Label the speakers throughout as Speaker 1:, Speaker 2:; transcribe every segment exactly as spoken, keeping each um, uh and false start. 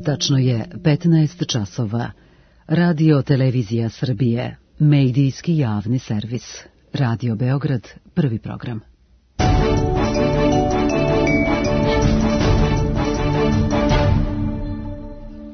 Speaker 1: Tačno je petnaest časova. Radio Televizija Srbije, medijski javni servis. Radio Beograd, prvi program.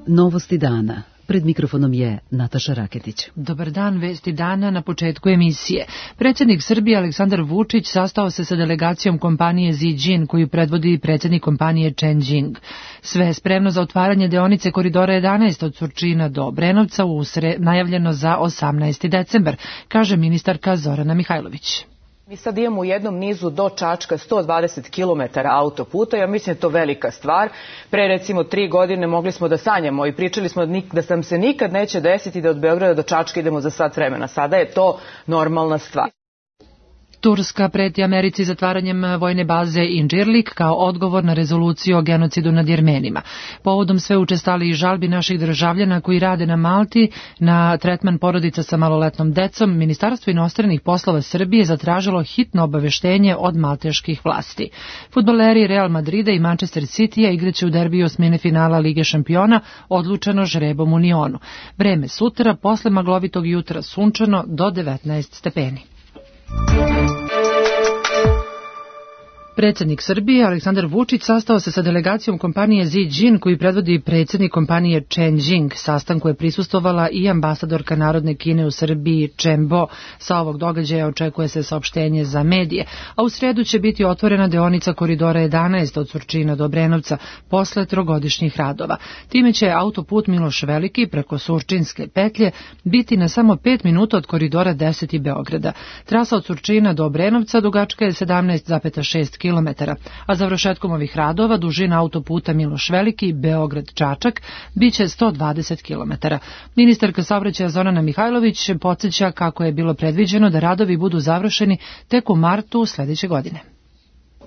Speaker 1: Novosti dana. Pred mikrofonom je Nataša Raketić.
Speaker 2: Dobar dan, vesti dana na početku emisije. Predsjednik Srbije Aleksandar Vučić sastao se sa delegacijom kompanije Ziđin, koju predvodi predsjednik kompanije Chen Jing. Sve je spremno za otvaranje deonice koridora jedanaest od Surčina do Obrenovca, u sre... najavljeno za osamnaesti decembar, kaže ministarka Zorana Mihajlović.
Speaker 3: Mi sad imamo u jednom nizu do Čačka sto dvadeset kilometara autoputa, ja mislim da je to velika stvar. Pre recimo tri godine mogli smo da sanjamo i pričali smo da nam se nikad neće desiti da od Beograda do Čačka idemo za sat vremena. Sada je to normalna stvar.
Speaker 2: Turska preti Americi zatvaranjem vojne baze Inđirlik kao odgovor na rezoluciju o genocidu nad Jermenima. Povodom sve učestali žalbi naših državljana koji rade na Malti na tretman porodica sa maloletnom decom, Ministarstvo inostranih poslova Srbije zatražilo hitno obaveštenje od malteških vlasti. Fudbaleri Real Madrida i Manchester Citya igraće u derbiju osmine finala Lige šampiona, odlučeno žrebom u Nionu. Vreme sutra, posle maglovitog jutra sunčano do devetnaest stepeni. Predsjednik Srbije Aleksandar Vučić sastao se sa delegacijom kompanije Ziđin, koju predvodi predsjednik kompanije Chen Jing. Sastanku je prisustvovala i ambasadorka Narodne Kine u Srbiji Chen Bo. Sa ovog događaja očekuje se saopštenje za medije, a u sredu će biti otvorena deonica koridora jedanaest od Surčina do Obrenovca posle trogodišnjih radova. Time će autoput Miloš Veliki preko Surčinske petlje biti na samo pet minuta od koridora deset i Beograda. Trasa od Surčina do Obrenovca dugačka je sedamnaest zarez šest kilometara, a završetkom ovih radova dužina autoputa Miloš Veliki Beograd-Čačak biće sto dvadeset kilometara. Ministarka saobraćaja Zorana Mihajlović podsjeća kako je bilo predviđeno da radovi budu završeni tek u martu sledeće godine.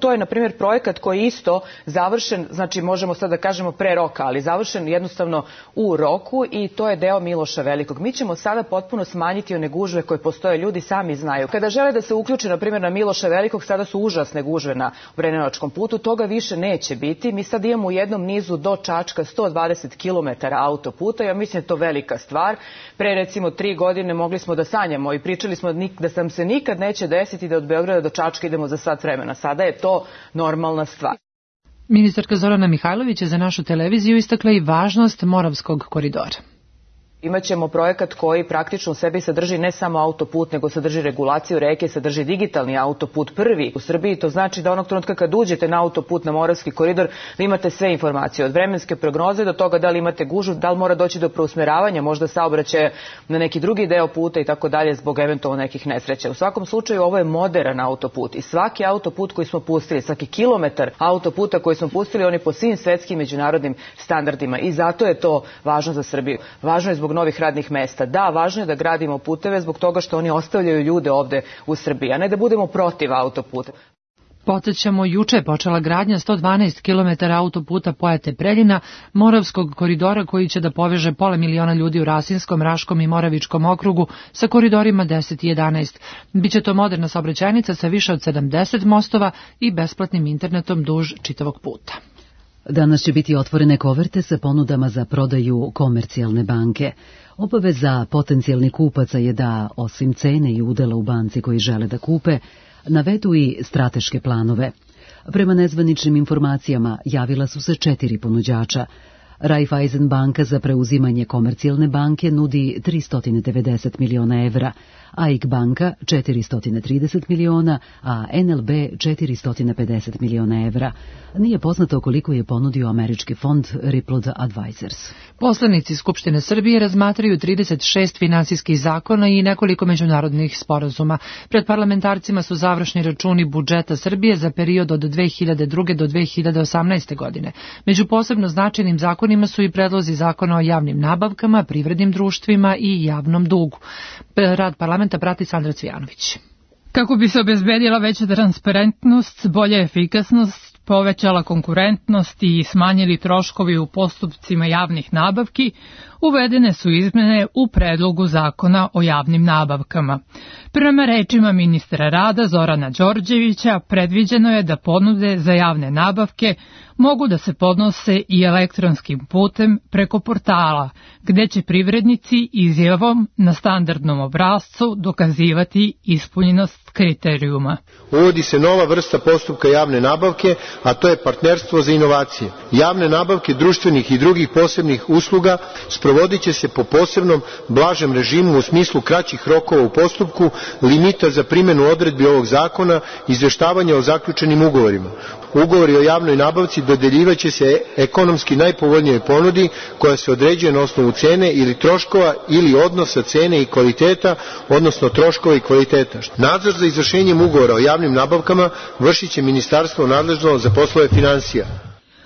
Speaker 3: To je, na primjer, projekat koji je isto završen, znači možemo sad da kažemo pre roka, ali završen jednostavno u roku i to je deo Miloša Velikog. Mi ćemo sada potpuno smanjiti one gužve koje postoje, ljudi sami znaju. Kada žele da se uključe, na primjer, na Miloša Velikog, sada su užasne gužve na Obrenovačkom putu, toga više neće biti. Mi sad imamo u jednom nizu do Čačka sto dvadeset kilometara autoputa, ja mislim da je to velika stvar. Pre recimo tri godine mogli smo da sanjamo i pričali smo da nam se nikad neće desiti da od Beograda do Čačka idemo za sat vremena. Sada je to normalna stvar.
Speaker 2: Ministarka Zorana Mihajlović je za našu televiziju istakla i važnost Moravskog koridora.
Speaker 3: Imaćemo projekat koji praktično u sebi sadrži ne samo autoput, nego sadrži regulaciju reke, sadrži digitalni autoput prvi u Srbiji. To znači da onog trenutka kad uđete na autoput, na Moravski koridor, vi imate sve informacije od vremenske prognoze do toga da li imate gužvu, da li mora doći do preusmeravanja, možda saobraćaja na neki drugi deo puta i tako dalje zbog eventualno nekih nesreća. U svakom slučaju ovo je moderan autoput i svaki autoput koji smo pustili, svaki kilometar autoputa koji smo pustili, on je po svim svetskim međunarodnim standardima i zato je to važno za Srbiju. Važno je zbog novih radnih mesta. Da, važno je da gradimo puteve zbog toga što oni ostavljaju ljude ovde u Srbiji, a ne da budemo protiv autoputa.
Speaker 2: Podsjećamo, juče je počela gradnja sto dvanaest kilometara autoputa Pojate-Preljina, Moravskog koridora koji će da poveže pola miliona ljudi u Rasinskom, Raškom i Moravičkom okrugu sa koridorima deset i jedanaest. Biće to moderna saobraćajnica sa više od sedamdeset mostova i besplatnim internetom duž čitavog puta.
Speaker 1: Danas će biti otvorene koverte sa ponudama za prodaju Komercijalne banke. Obaveza potencijalnih kupaca je da, osim cene i udela u banci koji žele da kupe, navedu i strateške planove. Prema nezvaničnim informacijama javila su se četiri ponuđača. Raiffeisen banka za preuzimanje Komercijalne banke nudi tristo devedeset miliona evra, A I K banka četiristo trideset miliona, a N L B četiristo pedeset miliona evra. Nije poznato koliko je ponudio američki fond Rippled Advisors.
Speaker 2: Poslanici Skupštine Srbije razmatraju trideset šest finansijskih zakona i nekoliko međunarodnih sporazuma. Pred parlamentarcima su završni računi budžeta Srbije za period od dve hiljade druge do dve hiljade osamnaeste. godine. Među posebno značajnim zakonima su i predlozi zakona o javnim nabavkama, privrednim društvima i javnom dugu. Rad parlamenta prati Sandra Cvijanović.
Speaker 4: Kako bi se obezbedila veća transparentnost, bolja efikasnost, povećala konkurentnost i smanjili troškovi u postupcima javnih nabavki, uvedene su izmene u predlogu zakona o javnim nabavkama. Prema rečima ministra rada Zorana Đorđevića, predviđeno je da ponude za javne nabavke mogu da se podnose i elektronskim putem preko portala, gde će privrednici izjavom na standardnom obrascu dokazivati ispunjenost kriterijuma.
Speaker 5: Uvodi se nova vrsta postupka javne nabavke, a to je partnerstvo za inovacije. Javne nabavke društvenih i drugih posebnih usluga sprovodit će se po posebnom blažem režimu u smislu kraćih rokova u postupku, limita za primjenu odredbi ovog zakona, izveštavanja o zaključenim ugovorima. Ugovori o javnoj nabavci dodeljivaće se ekonomski najpovoljnijoj ponudi koja se određuje na osnovu cene ili troškova ili odnosa cene i kvaliteta, odnosno troškova i kvaliteta. Nadzor za izvršenjem ugovora o javnim nabavkama vršit će ministarstvo nadležno za poslove finansija.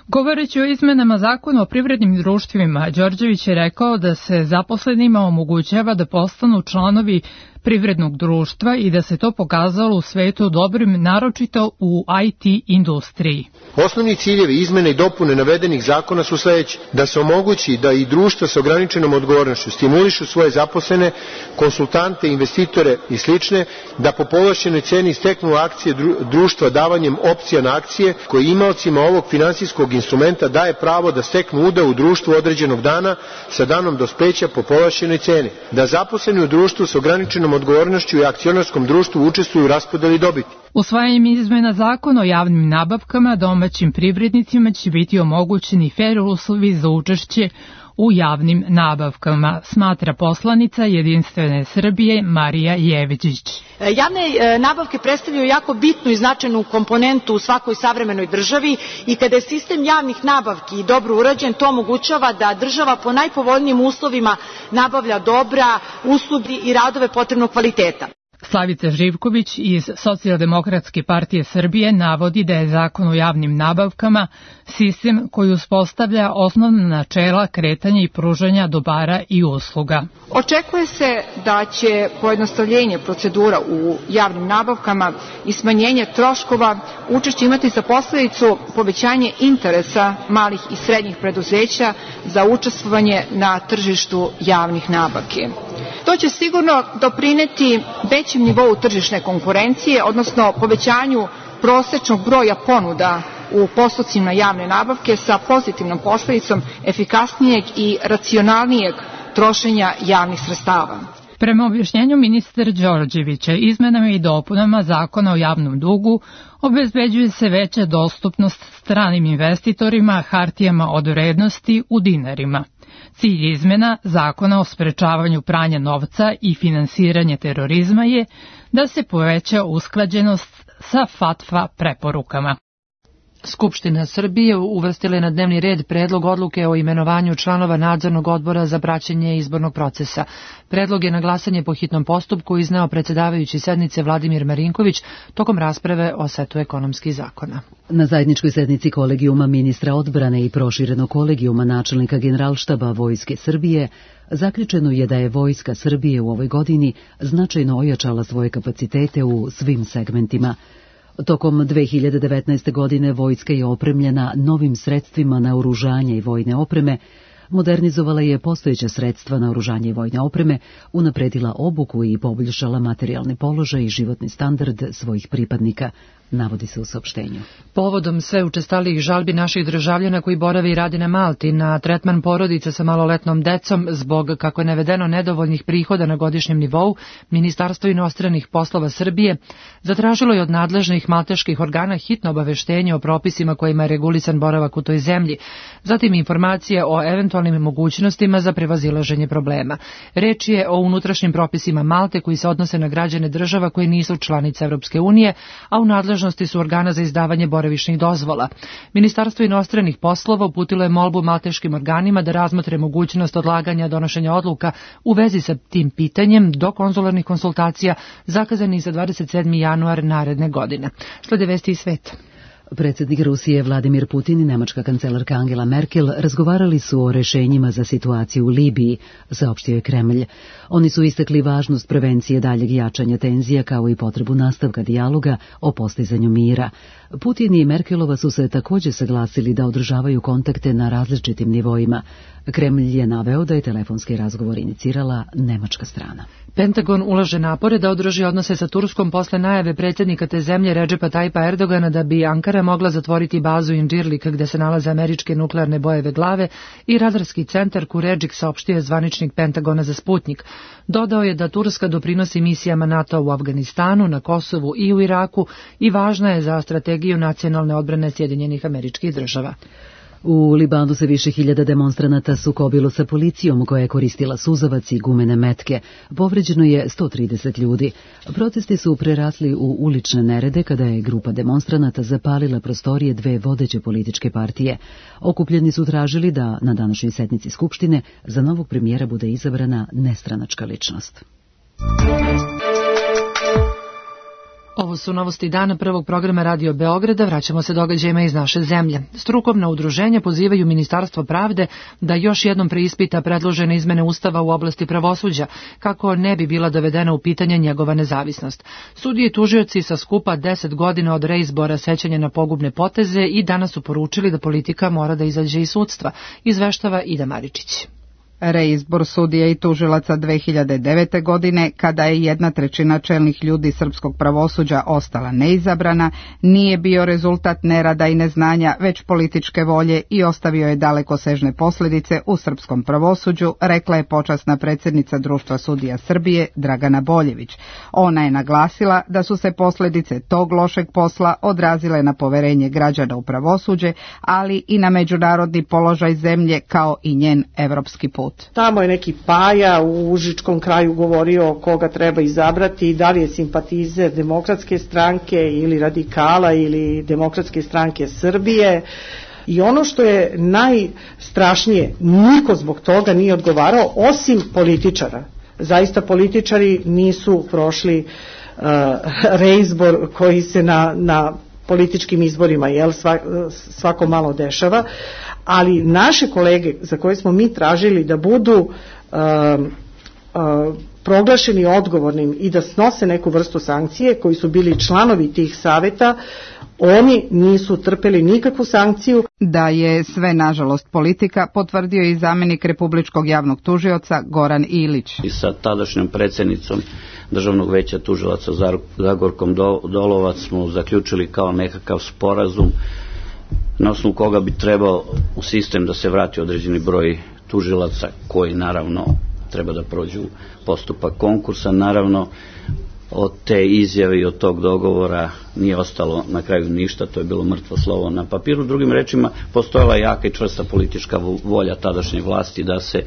Speaker 4: Govoreći o izmenama zakona o privrednim društvima, Đorđević je rekao da se zaposlenima omogućava da postanu članovi privrednog društva i da se to pokazalo u svetu dobrim, naročito u I T industriji.
Speaker 5: Osnovni ciljevi izmene i dopune navedenih zakona su sledeći: da se omogući da i društva sa ograničenom odgovornošću stimulišu svoje zaposlene, konsultante, investitore i slične, da po povlašćenoj ceni steknu akcije društva davanjem opcija na akcije, koji imaocima ovog finansijskog instrumenta daje pravo da steknu udeo u društvu određenog dana sa danom dospeća po povlašćenoj ceni, da zaposleni u društvu sa ograničenom odgovornošću i akcionarskom društvu učestvuju u raspodeli dobiti.
Speaker 4: Usvajanjem izmena zakona o javnim nabavkama domaćim privrednicima će biti omogućeni fer uslovi za učešće u javnim nabavkama, smatra poslanica Jedinstvene Srbije Marija Jevđić.
Speaker 6: Javne nabavke predstavljaju jako bitnu i značajnu komponentu u svakoj savremenoj državi i kada je sistem javnih nabavki dobro urađen, to omogućava da država po najpovoljnijim uslovima nabavlja dobra, usluge i radove potrebnog kvaliteta.
Speaker 4: Slavica Živković iz Socijaldemokratske partije Srbije navodi da je zakon o javnim nabavkama sistem koji uspostavlja osnovna načela kretanja i pružanja dobara i usluga.
Speaker 7: Očekuje se da će pojednostavljenje procedura u javnim nabavkama i smanjenje troškova učešće imati za posledicu povećanje interesa malih i srednjih preduzeća za učestvovanje na tržištu javnih nabavki. To će sigurno doprineti većem nivou tržišne konkurencije, odnosno povećanju prosečnog broja ponuda u postupcima javne nabavke sa pozitivnom posledicom efikasnijeg i racionalnijeg trošenja javnih sredstava.
Speaker 4: Prema objašnjenju ministra Đorđevića, izmenama i dopunama zakona o javnom dugu obezbeđuje se veća dostupnost stranim investitorima hartijama od vrednosti u dinarima. Cilj izmena zakona o sprečavanju pranja novca i finansiranje terorizma je da se poveća usklađenost sa FATFA preporukama.
Speaker 2: Skupština Srbije uvrstila je na dnevni red predlog odluke o imenovanju članova nadzornog odbora za praćenje izbornog procesa. Predlog je na glasanje po hitnom postupku izneo predsedavajući sednice Vladimir Marinković tokom rasprave o setu ekonomskih zakona.
Speaker 1: Na zajedničkoj sednici kolegijuma ministra odbrane i proširenog kolegijuma načelnika Generalštaba Vojske Srbije zaključeno je da je Vojska Srbije u ovoj godini značajno ojačala svoje kapacitete u svim segmentima. Tokom dve hiljade devetnaeste. godine vojska je opremljena novim sredstvima naoružanja i vojne opreme, modernizovala je postojeća sredstva naoružanja i vojne opreme, unapredila obuku i poboljšala materijalni položaj i životni standard svojih pripadnika, navodi se u saopštenju.
Speaker 2: Povodom sve učestalijih žalbi naših državljana koji borave i rade na Malti na tretman porodica sa maloletnom decom zbog, kako je navedeno, nedovoljnih prihoda na godišnjem nivou, Ministarstvo inostranih poslova Srbije zatražilo je od nadležnih malteških organa hitno obaveštenje o propisima kojima je regulisan boravak u toj zemlji, zatim informacije o eventualnim mogućnostima za prevazilaženje problema. Reč je o unutrašnjim propisima Malte koji se odnose na građane država koje nisu članice Evropske unije, a u nadležnosti su organa za izdavanje boravišnih dozvola. Ministarstvo inostranih poslova uputilo je molbu malteškim organima da razmotre mogućnost odlaganja donošenja odluka u vezi sa tim pitanjem do konzularnih konsultacija zakazanih za dvadeset sedmi januar naredne godine. Slede vesti iz sveta.
Speaker 1: Predsjednik Rusije Vladimir Putin i nemačka kancelarka Angela Merkel razgovarali su o rešenjima za situaciju u Libiji, saopštio je Kremlj. Oni su istakli važnost prevencije daljeg jačanja tenzija kao i potrebu nastavka dijaloga o postizanju mira. Putin i Merkelova su se također saglasili da održavaju kontakte na različitim nivoima. Kremlj je naveo da je telefonski razgovor inicirala nemačka strana.
Speaker 2: Pentagon ulaže napore da održi odnose sa Turskom posle najave predsjednika te zemlje Redžepa Tajpa Erdogana da bi Ankara Ankara mogla zatvoriti bazu Inđirlik gde se nalaze američke nuklearne bojeve glave i radarski centar Kuredžik, saopštio je zvaničnik Pentagona za Sputnik. Dodao je da Turska doprinosi misijama NATO u Afganistanu, na Kosovu i u Iraku i važna je za strategiju nacionalne odbrane Sjedinjenih Američkih Država.
Speaker 1: U Libanu se više hiljada demonstranata sukobilo sa policijom koja je koristila suzavac i gumene metke. Povređeno je sto trideset ljudi. Protesti su prerasli u ulične nerede kada je grupa demonstranata zapalila prostorije dve vodeće političke partije. Okupljeni su tražili da na današnjoj sednici Skupštine za novog premijera bude izabrana nestranačka ličnost.
Speaker 2: Ovo su novosti dana prvog programa Radio Beograda. Vraćamo se događajima iz naše zemlje. Strukovna udruženja pozivaju Ministarstvo pravde da još jednom preispita predložene izmene Ustava u oblasti pravosuđa, kako ne bi bila dovedena u pitanje njegova nezavisnost. Sudije i tužioci sa skupa deset godina od reizbora sećanja na pogubne poteze i danas su poručili da politika mora da izađe iz sudstva, izveštava Ida Maričić.
Speaker 8: Reizbor sudija i tužilaca dve hiljade devete. godine, kada je jedna trećina čelnih ljudi srpskog pravosuđa ostala neizabrana, nije bio rezultat nerada i neznanja, već političke volje i ostavio je dalekosežne posljedice u srpskom pravosuđu, rekla je počasna predsjednica Društva sudija Srbije Dragana Boljević. Ona je naglasila da su se posljedice tog lošeg posla odrazile na poverenje građana u pravosuđe, ali i na međunarodni položaj zemlje kao i njen evropski put.
Speaker 9: Tamo je neki Paja u Užičkom kraju govorio koga treba izabrati, da li je simpatizer Demokratske stranke ili radikala ili Demokratske stranke Srbije. I ono što je najstrašnije, niko zbog toga nije odgovarao osim političara. Zaista političari nisu prošli uh, reizbor koji se na, na političkim izborima jel, svako malo dešava, ali naše kolege za koje smo mi tražili da budu uh, uh, proglašeni odgovornim i da snose neku vrstu sankcije, koji su bili članovi tih saveta, oni nisu trpeli nikakvu sankciju.
Speaker 8: Da je sve nažalost politika, potvrdio i zamjenik Republičkog javnog tužioca Goran Ilić.
Speaker 10: I sa tadašnjom predsjednicom Državnog veća tužilaca Zagorkom Dolovac smo zaključili kao nekakav sporazum na osnovu koga bi trebao u sistem da se vrati određeni broj tužilaca koji naravno treba da prođu postupak konkursa. Naravno od te izjave i od tog dogovora nije ostalo na kraju ništa, to je bilo mrtvo slovo na papiru. Drugim rečima, postojala jaka i čvrsta politička volja tadašnje vlasti da se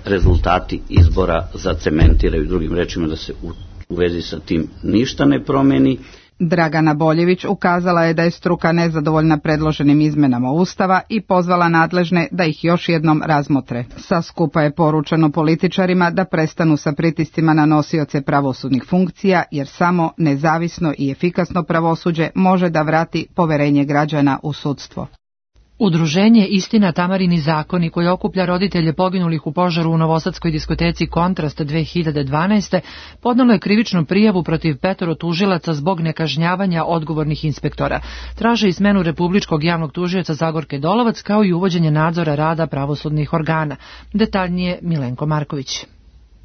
Speaker 10: rezultati izbora zacementiraju, drugim rečima da se u, u vezi sa tim ništa ne promeni.
Speaker 8: Dragana Boljević ukazala je da je struka nezadovoljna predloženim izmenama Ustava i pozvala nadležne da ih još jednom razmotre. Sa skupa je poručeno političarima da prestanu sa pritiscima na nosioce pravosudnih funkcija, jer samo nezavisno i efikasno pravosuđe može da vrati poverenje građana u sudstvo.
Speaker 2: Udruženje Istina Tamarini zakoni, koji okuplja roditelje poginulih u požaru u novosadskoj diskoteci Kontrast dve hiljade dvanaeste. podnelo je krivičnu prijavu protiv petoro tužilaca zbog nekažnjavanja odgovornih inspektora. Traže i smenu Republičkog javnog tužioca Zagorke Dolovac, kao i uvođenje nadzora rada pravosudnih organa. Detaljnije Milenko Marković.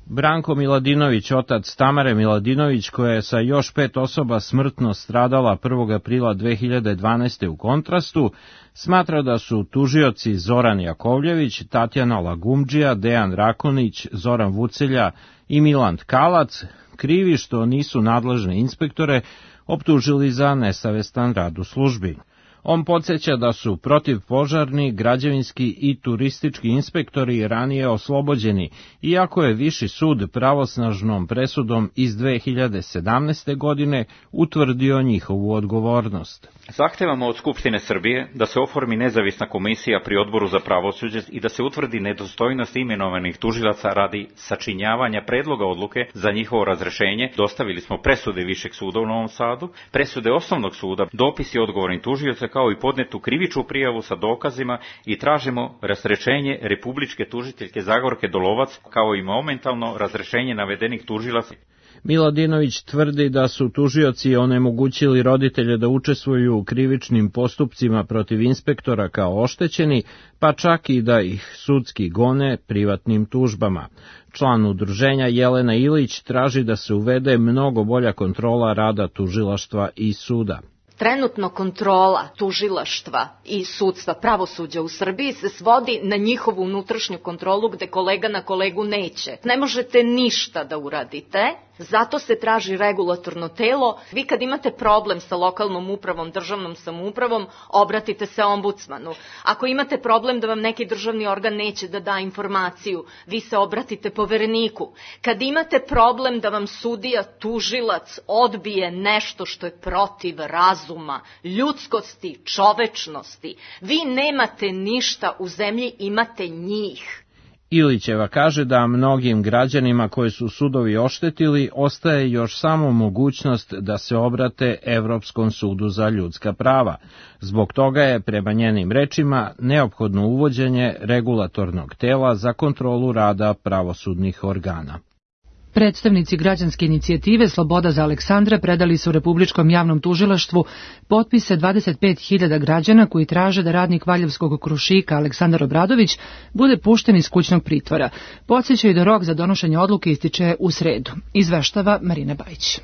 Speaker 11: Branko Miladinović, otac Tamare Miladinović, koja je sa još pet osoba smrtno stradala prvog aprila dve hiljade dvanaeste. u Kontrastu, smatra da su tužioci Zoran Jakovljević, Tatjana Lagumdžija, Dejan Rakonić, Zoran Vucelja i Milan Tkalac krivi što nisu nadležne inspektore optužili za nesavestan rad u službi. On podsjeća da su protivpožarni, građevinski i turistički inspektori ranije oslobođeni, iako je Viši sud pravosnažnom presudom iz dve hiljade sedamnaeste. godine utvrdio njihovu odgovornost.
Speaker 12: Zahtevamo od Skupštine Srbije da se oformi nezavisna komisija pri Odboru za pravosuđe i da se utvrdi nedostojnost imenovanih tužilaca radi sačinjavanja predloga odluke za njihovo razrešenje. Dostavili smo presude Višeg suda u Novom Sadu, presude Osnovnog suda, dopisi odgovornih tužioca, kao i podnetu krivičnu prijavu sa dokazima i tražimo razrešenje republičke tužiteljke Zagorke Dolovac, kao i momentalno razrešenje navedenih tužilaca.
Speaker 11: Miladinović tvrdi da su tužioci onemogućili roditelje da učestvuju u krivičnim postupcima protiv inspektora kao oštećeni, pa čak i da ih sudski gone privatnim tužbama. Član udruženja Jelena Ilić traži da se uvede mnogo bolja kontrola rada tužilaštva i suda.
Speaker 13: Trenutno kontrola tužilaštva i sudstva, pravosuđa u Srbiji se svodi na njihovu unutrašnju kontrolu gde kolega na kolegu neće. Ne možete ništa da uradite, zato se traži regulatorno telo. Vi kad imate problem sa lokalnom upravom, državnom samoupravom, obratite se ombudsmanu. Ako imate problem da vam neki državni organ neće da da informaciju, vi se obratite povereniku. Kad imate problem da vam sudija, tužilac odbije nešto što je protiv razuma, ljudskosti, čovečnosti, vi nemate ništa u zemlji, imate njih.
Speaker 11: Ilićeva kaže da mnogim građanima koje su sudovi oštetili ostaje još samo mogućnost da se obrate Evropskom sudu za ljudska prava. Zbog toga je, prema njenim rečima, neophodno uvođenje regulatornog tela za kontrolu rada pravosudnih organa.
Speaker 2: Predstavnici građanske inicijative Sloboda za Aleksandra predali su Republičkom javnom tužilaštvu potpise dvadeset pet hiljada građana koji traže da radnik Valjevskog Krušika Aleksandar Obradović bude pušten iz kućnog pritvora. Podsećaju da rok za donošenje odluke ističe u sredu. Izveštava Marina Bajić.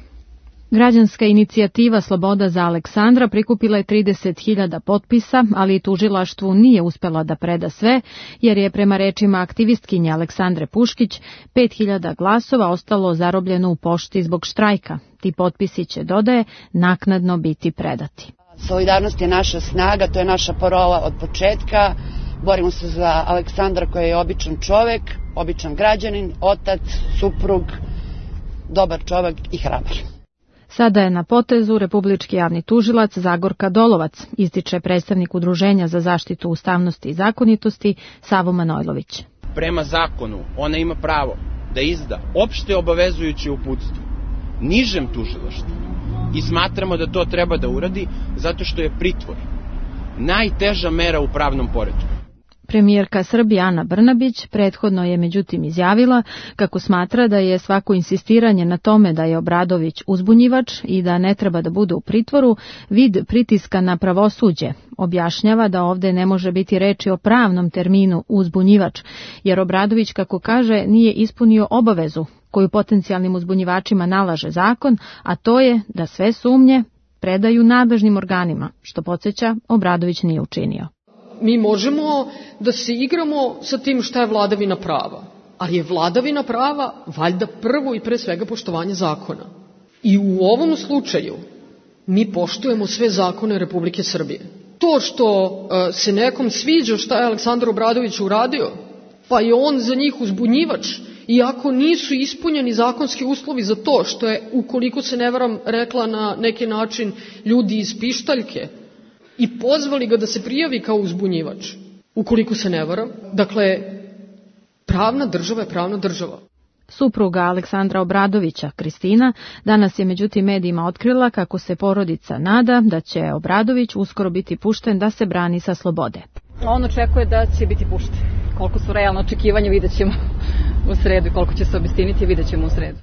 Speaker 14: Građanska inicijativa Sloboda za Aleksandra prikupila je trideset hiljada potpisa, ali tužilaštvu nije uspela da preda sve, jer je prema rečima aktivistkinje Aleksandre Puškić pet hiljada glasova ostalo zarobljeno u pošti zbog štrajka. Ti potpisi će, dodaje, naknadno biti predati.
Speaker 15: Solidarnost je naša snaga, to je naša parola od početka. Borimo se za Aleksandra koji je običan čovek, običan građanin, otac, suprug, dobar čovek i hrabar.
Speaker 14: Sada je na potezu Republički javni tužilac Zagorka Dolovac, ističe predstavnik Udruženja za zaštitu ustavnosti i zakonitosti Savo Manojlović.
Speaker 16: Prema zakonu ona ima pravo da izda opšte obavezujuće uputstvo nižem tužilaštvu i smatramo da to treba da uradi zato što je pritvor najteža mera u pravnom poretku.
Speaker 14: Premijerka Srbije Ana Brnabić prethodno je međutim izjavila kako smatra da je svako insistiranje na tome da je Obradović uzbunjivač i da ne treba da bude u pritvoru vid pritiska na pravosuđe. Objašnjava da ovde ne može biti reči o pravnom terminu uzbunjivač, jer Obradović, kako kaže, nije ispunio obavezu koju potencijalnim uzbunjivačima nalaže zakon, a to je da sve sumnje predaju nadležnim organima, što podsjeća Obradović nije učinio.
Speaker 17: Mi možemo da se igramo sa tim šta je vladavina prava, ali je vladavina prava valjda prvo i pre svega poštovanje zakona. I u ovom slučaju mi poštujemo sve zakone Republike Srbije. To što uh, se nekom sviđa šta je Aleksandar Obradović uradio, pa je on za njih uzbunjivač, iako nisu ispunjeni zakonski uslovi za to, što je, ukoliko se ne varam, rekla na neki način ljudi iz pištaljke, i pozvali ga da se prijavi kao uzbunjivač, ukoliko se ne varam. Dakle, pravna država je pravna država.
Speaker 14: Supruga Aleksandra Obradovića, Kristina, danas je međutim medijima otkrila kako se porodica nada da će Obradović uskoro biti pušten da se brani sa slobode.
Speaker 18: On očekuje da će biti pušten. Koliko su realno očekivanja, vidjet ćemo u sredu. Koliko će se obistiniti, vidjet ćemo u sredu.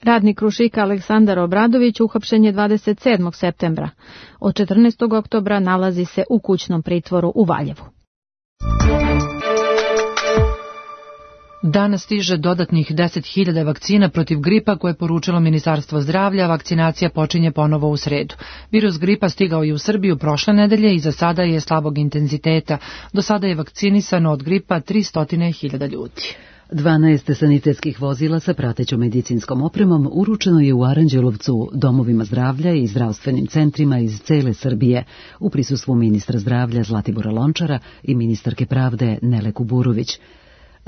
Speaker 14: Radnik Krušika Aleksandar Obradović uhapšen je dvadeset sedmog septembra. Od četrnaestog oktobra nalazi se u kućnom pritvoru u Valjevu.
Speaker 2: Danas stiže dodatnih deset hiljada vakcina protiv gripa koje je poručilo Ministarstvo zdravlja. Vakcinacija počinje ponovo u sredu. Virus gripa stigao je u Srbiju prošle nedelje i za sada je slabog intenziteta. Do sada je vakcinisano od gripa tristo hiljada ljudi.
Speaker 1: dvanaest sanitetskih vozila sa pratećom medicinskom opremom uručeno je u Aranđelovcu domovima zdravlja i zdravstvenim centrima iz cele Srbije u prisustvu ministra zdravlja Zlatibora Lončara i ministarke pravde Nele Kuburović.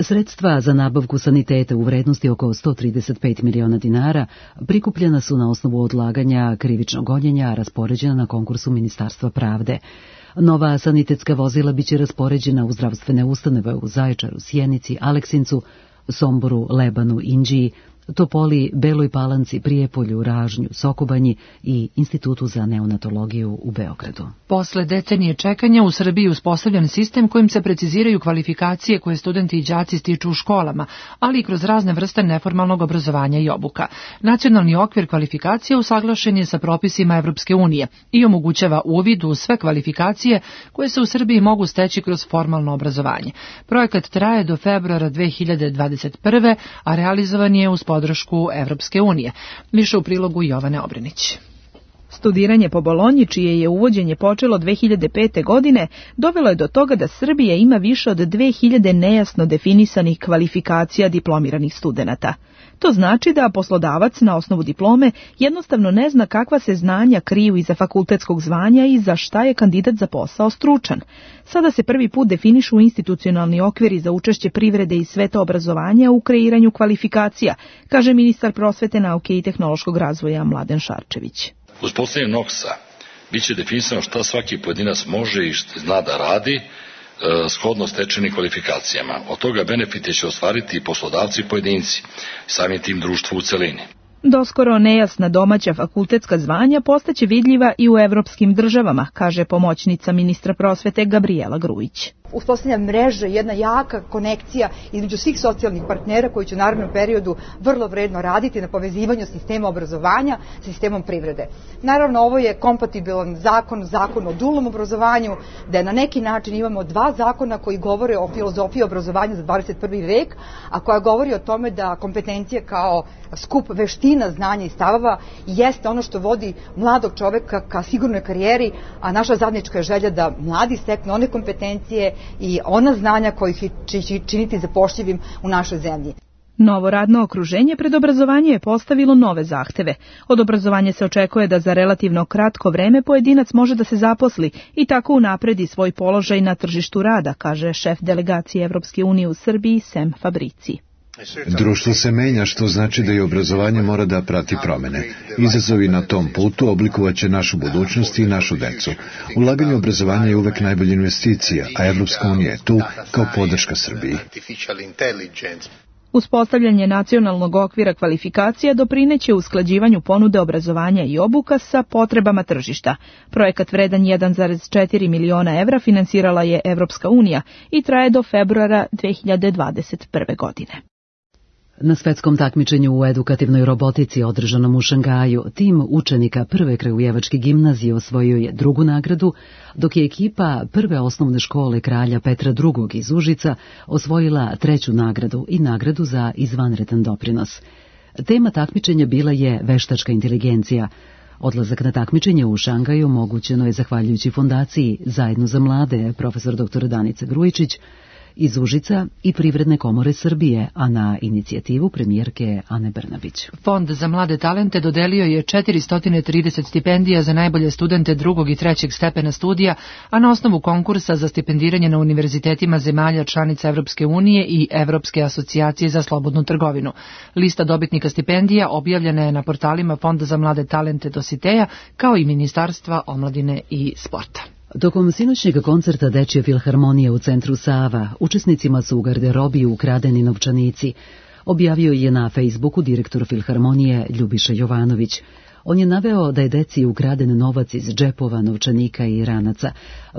Speaker 1: Sredstva za nabavku saniteta u vrednosti oko sto trideset pet miliona dinara prikupljena su na osnovu odlaganja krivičnog gonjenja, raspoređena na konkursu Ministarstva pravde. Nova sanitetska vozila biće raspoređena u zdravstvene ustanove u Zaječaru, Sjenici, Aleksincu, Somboru, Lebanu, Inđiji, Topoli, Beloj Palanci, Prijepolju, Ražnju, Sokobanji i Institutu za neonatologiju u Beogradu.
Speaker 2: Posle decenije čekanja u Srbiji je uspostavljen sistem kojim se preciziraju kvalifikacije koje studenti i đaci stiču u školama, ali i kroz razne vrste neformalnog obrazovanja i obuka. Nacionalni okvir kvalifikacija usaglašen je sa propisima Evropske unije i omogućava uvid u sve kvalifikacije koje se u Srbiji mogu steći kroz formalno obrazovanje. Projekat traje do februara dve hiljade dvadeset prve. a realizovan je uz podršku Evropske unije. Više u prilogu Jovane Obrenić.
Speaker 19: Studiranje po Bolonji, čije je uvođenje počelo dve hiljade pete. godine, dovelo je do toga da Srbija ima više od dve hiljade nejasno definisanih kvalifikacija diplomiranih studenata. To znači da poslodavac na osnovu diplome jednostavno ne zna kakva se znanja kriju iza fakultetskog zvanja i za šta je kandidat za posao stručan. Sada se prvi put definišu institucionalni okviri za učešće privrede i sveta obrazovanja u kreiranju kvalifikacija, kaže ministar prosvete, nauke i tehnološkog razvoja Mladen Šarčević.
Speaker 20: Uspostavljanjem NOKS-a biće definisano šta svaki pojedinac može i što zna da radi, shodno stečenim kvalifikacijama. Od toga benefite će ostvariti i poslodavci i pojedinci, samim tim društvo u celini.
Speaker 19: Doskoro nejasna domaća fakultetska zvanja postaće vidljiva i u evropskim državama, kaže pomoćnica ministra prosvete Gabrijela Grujić.
Speaker 21: Uspostavlja mreža, jedna jaka konekcija između svih socijalnih partnera koji će u narednom periodu vrlo vredno raditi na povezivanju sistema obrazovanja sa sistemom privrede. Naravno, ovo je kompatibilan zakon, zakon o dualnom obrazovanju, da na neki način imamo dva zakona koji govore o filozofiji obrazovanja za dvadeset prvi vek, a koja govori o tome da kompetencije kao skup veština, znanja i stavova jeste ono što vodi mladog čoveka ka sigurnoj karijeri, a naša zajednička je želja da mladi steknu one kompetencije i ona znanja koji će činiti zapošljivim u našoj zemlji.
Speaker 19: Novo radno okruženje pred obrazovanje je postavilo nove zahteve. Od obrazovanja se očekuje da za relativno kratko vreme pojedinac može da se zaposli i tako unapredi svoj položaj na tržištu rada, kaže šef delegacije Evropske unije u Srbiji Sem Fabrici.
Speaker 22: Društvo se menja, što znači da i obrazovanje mora da prati promene. Izazovi na tom putu oblikovaće našu budućnost i našu decu. Ulaganje u obrazovanje je uvek najbolja investicija, a Evropska unija je tu kao podrška Srbiji.
Speaker 19: Uspostavljanje nacionalnog okvira kvalifikacija doprineće usklađivanju ponude obrazovanja i obuka sa potrebama tržišta. Projekat vredan jedan zarez četiri miliona evra finansirala je Evropska unija i traje do februara dve hiljade dvadeset prve. godine.
Speaker 1: Na svetskom takmičenju u edukativnoj robotici održanom u Šangaju, tim učenika prve kragujevačke gimnazije osvojio je drugu nagradu, dok je ekipa prve osnovne škole Kralja Petra drugog. iz Užica osvojila treću nagradu i nagradu za izvanredan doprinos. Tema takmičenja bila je veštačka inteligencija. Odlazak na takmičenje u Šangaju omogućeno je zahvaljujući fondaciji Zajedno za mlade, profesor doktor Danica Grujičić, iz Užica i Privredne komore Srbije, a na inicijativu premijerke Ane Brnabić.
Speaker 2: Fond za mlade talente dodelio je četiristo trideset stipendija za najbolje studente drugog i trećeg stepena studija, a na osnovu konkursa za stipendiranje na univerzitetima zemalja članica Evropske unije i Evropske asocijacije za slobodnu trgovinu. Lista dobitnika stipendija objavljena je na portalima Fonda za mlade talente Dositeja, kao i Ministarstva omladine i sporta.
Speaker 1: Tokom sinoćnjeg koncerta Dečje filharmonije u centru Sava, učesnicima su u garderobiji ukradeni novčanici, objavio je na Facebooku direktor filharmonije Ljubiša Jovanović. On je naveo da je deci ukraden novac iz džepova, novčanika i ranaca.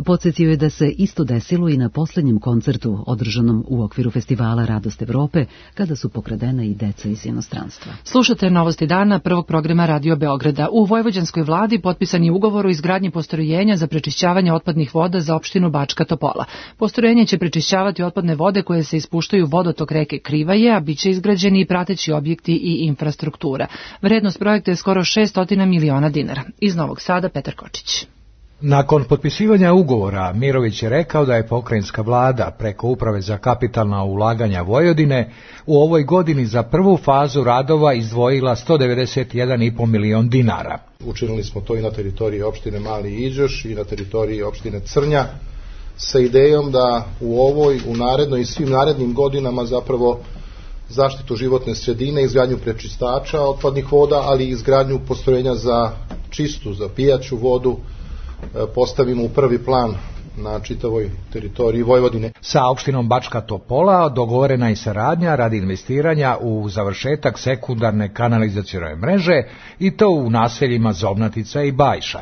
Speaker 1: Podsjetio je da se isto desilo i na posljednjem koncertu održanom u okviru festivala Radost Evrope, kada su pokradena i deca iz inostranstva.
Speaker 2: Slušate Novosti dana prvog programa Radio Beograda. U vojvođanskoj vladi potpisan je ugovor o izgradnji postrojenja za prečišćavanje otpadnih voda za opštinu Bačka Topola. Postrojenje će prečišćavati otpadne vode koje se ispuštaju u vodotok reke Krivaje, a bit će izgrađeni i prateći objekti i infrastruktura. Vrednost projekta je skoro šest miliona dinara. Iz Novog Sada Petar Kočić.
Speaker 23: Nakon potpisivanja ugovora, Mirović je rekao da je pokrajinska vlada preko Uprave za kapitalna ulaganja Vojvodine u ovoj godini za prvu fazu radova izdvojila sto devedeset jedan i po milion dinara.
Speaker 24: Učinili smo to i na teritoriji opštine Mali Iđoš i na teritoriji opštine Crnja sa idejom da u ovoj, u narednoj i svim narednim godinama zapravo zaštitu životne sredine, izgradnju prečistača otpadnih voda, ali i izgradnju postrojenja za čistu, za pijaću vodu postavimo u prvi plan na čitavoj teritoriji Vojvodine.
Speaker 23: Sa opštinom Bačka Topola dogovorena je saradnja radi investiranja u završetak sekundarne kanalizacione mreže i to u naseljima Zobnatica i Bajša.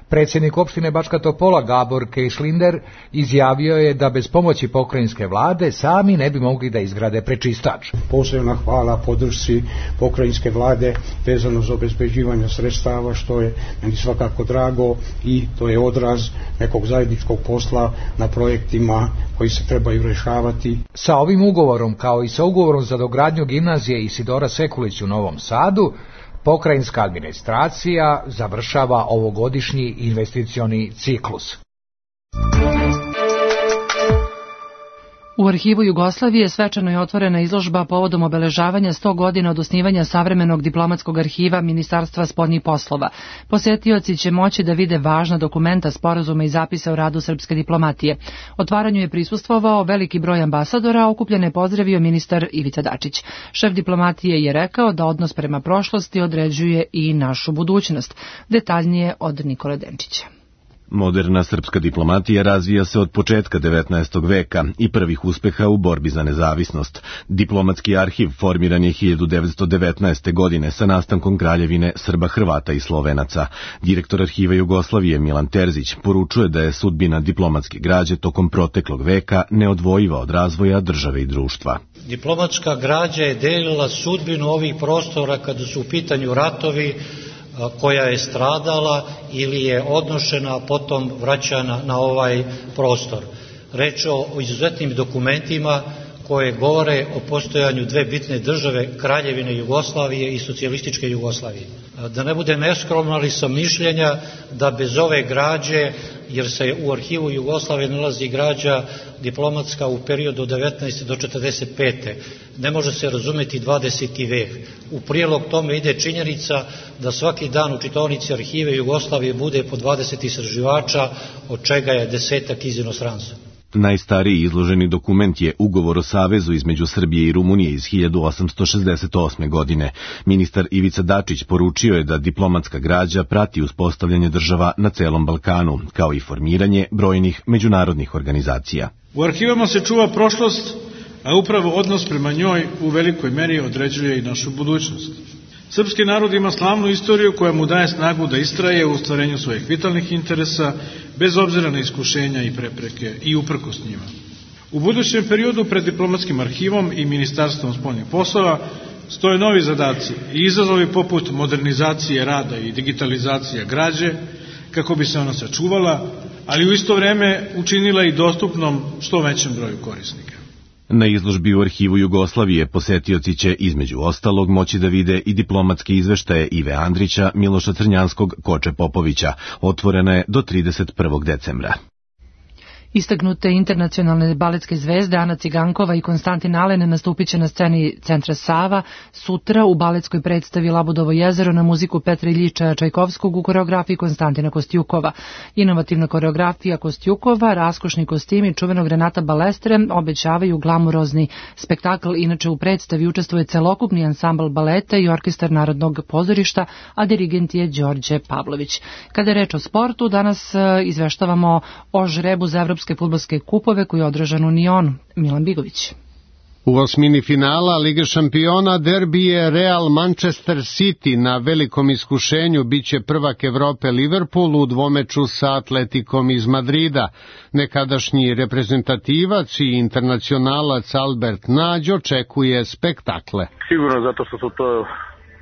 Speaker 23: Predsjednik opštine Bačka Topola Gabor Kejšlinder izjavio je da bez pomoći pokrajinske vlade sami ne bi mogli da izgrade prečistač.
Speaker 25: Posebna hvala podršci pokrajinske vlade vezano za obezbeđivanje sredstava, što je meni svakako drago i to je odraz nekog zajedničkog posla na projektima koji se trebaju rešavati.
Speaker 23: Sa ovim ugovorom, kao i sa ugovorom za dogradnju gimnazije Isidora Sekulić u Novom Sadu, Pokrajinska administracija završava ovogodišnji investicioni ciklus.
Speaker 2: U Arhivu Jugoslavije svečano je otvorena izložba povodom obeležavanja sto godina od osnivanja savremenog diplomatskog arhiva Ministarstva spoljnih poslova. Posetioci će moći da vide važna dokumenta, sporazuma i zapisa o radu srpske diplomatije. Otvaranju je prisustvovao veliki broj ambasadora, a okupljene je pozdravio ministar Ivica Dačić. Šef diplomatije je rekao da odnos prema prošlosti određuje i našu budućnost. Detaljnije od Nikole Denčića.
Speaker 3: Moderna srpska diplomatija razvija se od početka devetnaestog veka i prvih uspeha u borbi za nezavisnost. Diplomatski arhiv formiran je hiljadu devetsto devetnaeste. godine sa nastankom kraljevine Srba, Hrvata i Slovenaca. Direktor Arhiva Jugoslavije Milan Terzić poručuje da je sudbina diplomatske građe tokom proteklog veka neodvojiva od razvoja države i društva.
Speaker 4: Diplomatska građa je delila sudbinu ovih prostora kada su u pitanju ratovi, koja je stradala ili je odnošena, a potom vraćana na ovaj prostor. Reč je o izuzetnim dokumentima koje govore o postojanju dve bitne države, Kraljevine Jugoslavije i socijalističke Jugoslavije. Da ne bude neskromno, ali sam mišljenja da bez ove građe, jer se u Arhivu Jugoslavije nalazi građa diplomatska u periodu od devetnaeste do četrdeset pete. ne može se razumeti dvadeseti vek. U prilog tome ide činjenica da svaki dan u čitaonici Arhive Jugoslavije bude po dvadeset istraživača, od čega je desetak iz inostranstva.
Speaker 3: Najstariji izloženi dokument je Ugovor o savezu između Srbije i Rumunije iz hiljadu osamsto šezdeset osme. godine. Ministar Ivica Dačić poručio je da diplomatska građa prati uspostavljanje država na celom Balkanu, kao i formiranje brojnih međunarodnih organizacija.
Speaker 5: U arhivama se čuva prošlost, a upravo odnos prema njoj u velikoj meri određuje i našu budućnost. Srpski narod ima slavnu istoriju koja mu daje snagu da istraje u ostvarenju svojih vitalnih interesa, bez obzira na iskušenja i prepreke i uprkos njima. U budućem periodu pred diplomatskim arhivom i Ministarstvom spoljnih poslova stoje novi zadaci i izazovi poput modernizacije rada i digitalizacije građe, kako bi se ona sačuvala, ali u isto vreme učinila i dostupnom što većem broju korisnika.
Speaker 3: Na izložbi u Arhivu Jugoslavije posetioci će između ostalog moći da vide i diplomatske izveštaje Ive Andrića, Miloša Crnjanskog, Koče Popovića. Otvorena je do trideset prvog decembra.
Speaker 2: Istaknute internacionalne baletske zvezde Ana Cigankova i Konstantin Alen nastupit će na sceni Centra Sava sutra u baletskoj predstavi Labudovo jezero na muziku Petra Iljiča Čajkovskog u koreografiji Konstantina Kostjukova. Inovativna koreografija Kostjukova, raskošni kostimi čuvenog Renata Balestre obećavaju glamurozni spektakl. Inače u predstavi učestvuje celokupni ansambl baleta i orkestar Narodnog pozorišta, a dirigent je Đorđe Pavlović. Kada je reč o sportu, danas izveštavamo o žrebu za evropske fudbalske kupove koji je održan u Nionu. Milan Bigović.
Speaker 6: U osmini finala Lige šampiona derbi je Real Manchester City. Na velikom iskušenju biće prvak Evrope Liverpool u dvomeču sa Atletikom iz Madrida. Nekadašnji reprezentativac i internacionalac Albert Nađ očekuje spektakle.
Speaker 7: Sigurno zato što su to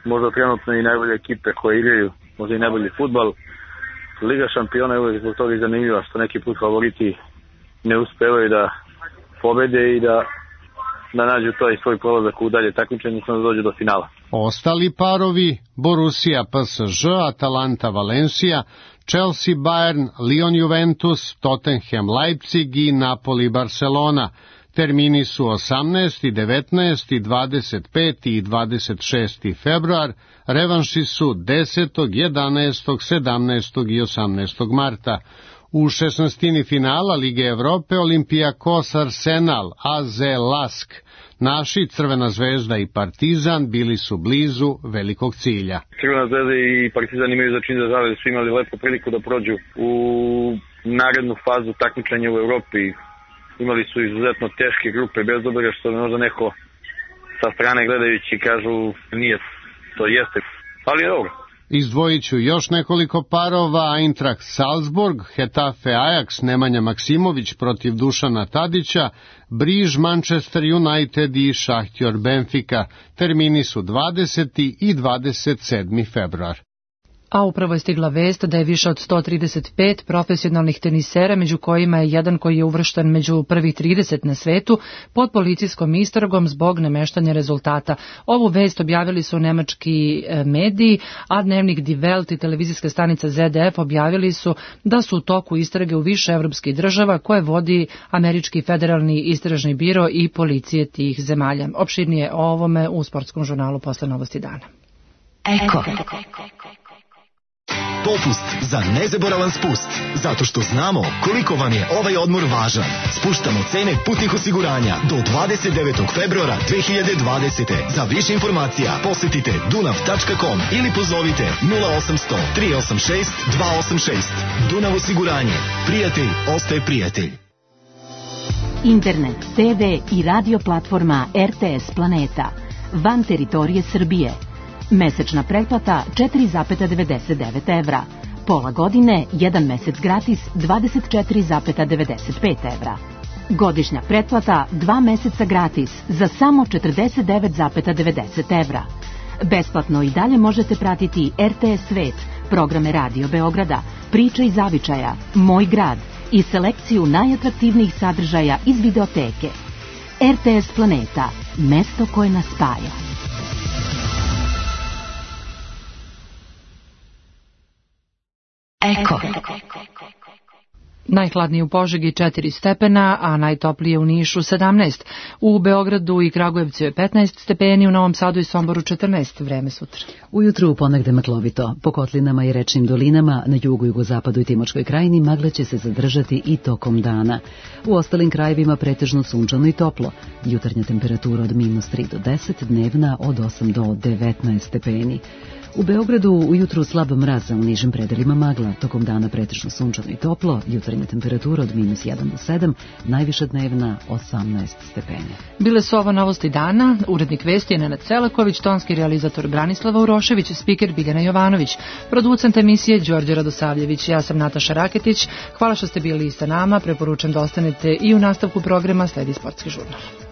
Speaker 7: možda trenutno i najbolje ekipe koje igraju, možda i najbolji fudbal. Liga šampiona je uvijek zbog toga i zanimljiva što neki put favoriti ne uspevaju da pobede i da, da nađu to i svoj prolazak u dalje takmičenje, da dođu do finala.
Speaker 6: Ostali parovi Borussia P S G, Atalanta Valencia, Chelsea Bayern, Lyon Juventus, Tottenham Leipzig i Napoli Barcelona. Termini su osamnaesti, devetnaesti, dvadeset peti i dvadeset šesti februar, revanši su desetog, jedanaestog, sedamnaestog i osamnaestog marta. U šesnaestini finala Lige Evrope Olympiakos Arsenal, A Z Lask. Naši Crvena zvezda i Partizan bili su blizu velikog cilja.
Speaker 7: Crvena zvezda i Partizan imaju za čin da žale, su imali lepu priliku da prođu u narednu fazu takmičenja u Evropi. Imali su izuzetno teške grupe, bez obzira što možda neko sa strane gledajući kažu nije, to jeste, ali je dobro.
Speaker 6: Izdvojit ću još nekoliko parova: Eintracht Salzburg, Hetafe Ajax, Nemanja Maksimović protiv Dušana Tadića, Briž Manchester United i Šahtjor Benfica. Termini su dvadeseti i dvadeset sedmi februar.
Speaker 2: A upravo je stigla vest da je više od sto trideset pet profesionalnih tenisera, među kojima je jedan koji je uvršten među prvih trideset na svetu, pod policijskom istragom zbog nameštanja rezultata. Ovu vest objavili su nemački mediji, a dnevnik Die Welt i televizijska stanica Z D F objavili su da su u toku istrage u više evropskih država koje vodi Američki federalni istražni biro i policije tih zemalja. Opširnije o ovome u sportskom žurnalu posle Novosti dana.
Speaker 8: Eko. Popust za nezaboravan spust, zato što znamo koliko vam je ovaj odmor važan. Spuštamo cene putnih osiguranja do dvadeset devetog februara dve hiljade dvadesete. Za više informacija posetite dunav tačka com ili pozovite nula osamsto tri osam šest dva osam šest. Dunav osiguranje. Prijatelj ostaje prijatelj.
Speaker 9: Internet, te ve i radio platforma R T S Planeta. Van teritorije Srbije. Mesečna pretplata četiri zarez devedeset devet evra. Pola godine, jedan mesec gratis dvadeset četiri zarez devedeset pet evra. Godišnja pretplata dva meseca gratis za samo četrdeset devet zarez devedeset evra. Besplatno i dalje možete pratiti R T S Svet, programe Radio Beograda, Priče iz zavičaja, Moj grad i selekciju najatraktivnijih sadržaja iz videoteke. R T S Planeta, mesto koje nas spaja.
Speaker 8: Eko.
Speaker 2: Najhladnije u Požegi četiri stepena, a najtoplije u Nišu sedamnaest. U Beogradu i Kragujevcu je petnaest stepeni, u Novom Sadu i Somboru četrnaest. Vreme sutra.
Speaker 1: Ujutru ponegde maglovito. Po kotlinama i rečnim dolinama na jugu, jugozapadu i Timočkoj krajini magle će se zadržati i tokom dana. U ostalim krajevima pretežno sunčano i toplo. Jutarnja temperatura od minus tri do deset, dnevna od osam do devetnaest stepeni. U Beogradu ujutru slab mraz, a u nižim predelima magla. Tokom dana pretežno sunčano i toplo, jutarnja temperatura od minus jedan do sedam, najviša dnevna osamnaest stepeni.
Speaker 2: Bile su ovo novosti dana, urednik vesti je Nenad Celaković, tonski realizator Branislava Urošević, spiker Biljana Jovanović, producent emisije Đorđe Radosavljević. Ja sam Nataša Raketić, hvala što ste bili sa nama, preporučam da ostanete i u nastavku programa sledi sportski žurnal.